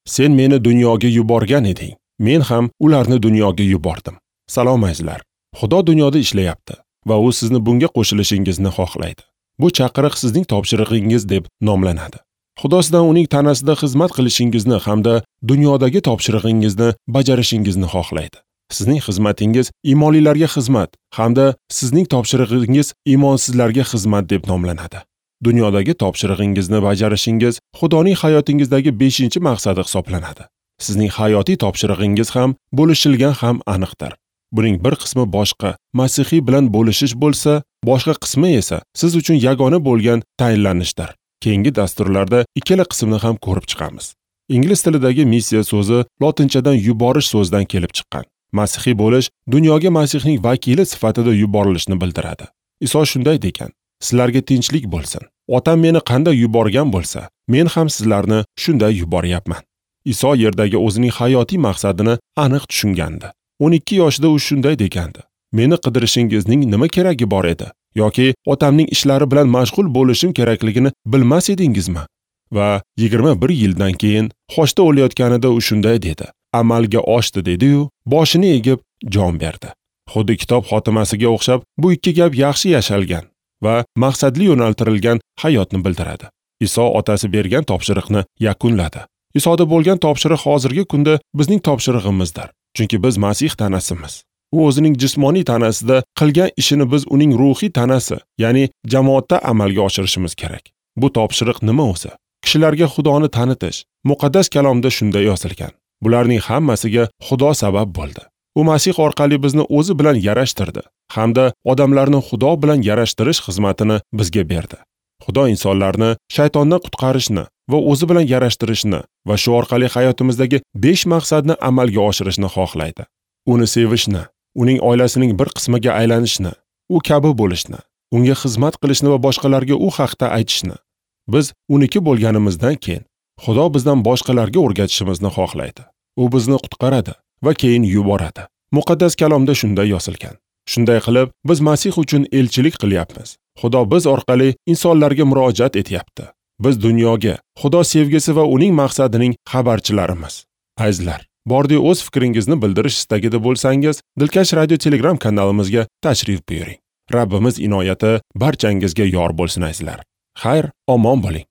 Sen meni dunyoga yuborgan eding, men ham ularni dunyoga yubordim. Salom azizlar. Xudo dunyoda ishlayapti va u sizni bunga qo'shilishingizni xohlaydi. Bu chaqiriq sizning topshirig'ingiz deb nomlanadi. Xudo sizdan uning tanasida xizmat qilishingizni hamda dunyodagi topshirig'ingizni bajarishingizni xohlaydi. Sizning xizmatingiz iymonlilarga xizmat hamda sizning topshirig'ingiz iymonsizlarga xizmat deb nomlanadi. Dunyodagi topshirig'ingizni bajarishingiz Xudoning hayotingizdagi 5-maqsadi hisoblanadi. Sizning hayotiy topshirig'ingiz ham bo'lishilgan ham aniqdir. Buning bir qismi boshqa masihiy bilan bo'lishish bo'lsa, boshqa qismi esa siz uchun yagona bo'lgan tayinlanishdir. Keyingi dasturlarda ikkala qismni ham ko'rib chiqamiz. Ingliz tilidagi missiya so'zi lotinchadan yuborish so'zidan kelib chiqqan. Masihiy bo'lish dunyoga Masihning vakili sifatida yuborilishni bildiradi. Iso shunday degan: Sizlarga tinchlik bo'lsin. Otam meni qanday yuborgan bo'lsa, men ham sizlarni shunday yuboryapman. Iso yerdagi o'zining hayotiy maqsadini aniq tushungandi. 12 yoshida u shunday degandi: Meni qidirishingizning nima keragi bor edi? Yoki otamning ishlari bilan mashg'ul bo'lishim kerakligini bilmas edingizmi? Va 21 yildan keyin xochda o'layotganida u shunday dedi: Amalga oshdi dedi-yu, boshini egib jon berdi. Xuddi kitob xotimasiga o'xshab bu ikki gap yaxshi yashalgan va maqsadli yo'naltirilgan hayotni bildiradi. Iso otasi bergan topshiriqni yakunladi. Isoda bo'lgan topshiriq hozirgi kunda bizning topshirig'imizdir. Chunki biz Masih tanasimiz. U o'zining jismoniy tanasida qilgan ishini biz uning ruhiy tanasi, ya'ni jamoatda amalga oshirishimiz kerak. Bu topshiriq nima o'zi? Kishilarga Xudoni tanitish. Muqaddas kalomda shunday yozilgan. Bularning hammasiga Xudo sabab bo'ldi. U Masih orqali bizni o'zi bilan yarashtirdi hamda odamlarni Xudo bilan yarashtirish xizmatini bizga berdi. Xudo insonlarni shaytondan qutqarishni va o'zi bilan yarashtirishni va shu orqali hayotimizdagi 5 maqsadni amalga oshirishni xohlaydi. Uni sevishni, uning oilasining bir qismiga aylanishni, u kabi bo'lishni, unga xizmat qilishni va boshqalarga u haqda aytishni. Biz uniki bo'lganimizdan keyin Xudo bizdan boshqalarga o'rgatishimizni xohlaydi. U bizni qutqaradi va keyin yuboradi. Muqaddas kalomda shunday yozilgan. Shunday qilib, biz Masih uchun elchilik qilyapmiz. Xudo biz orqali insonlarga murojaat etyapti. Biz dunyoga Xudo sevgisi va uning maqsadining xabarchilarimiz. Azizlar, bordi o'z fikringizni bildirish istagida bo'lsangiz, Dilkash Radio Telegram kanalimizga tashrif buyuring. Rabbimiz inoyati barchangizga yor bo'lsin azizlar. Xayr, omon bo'ling.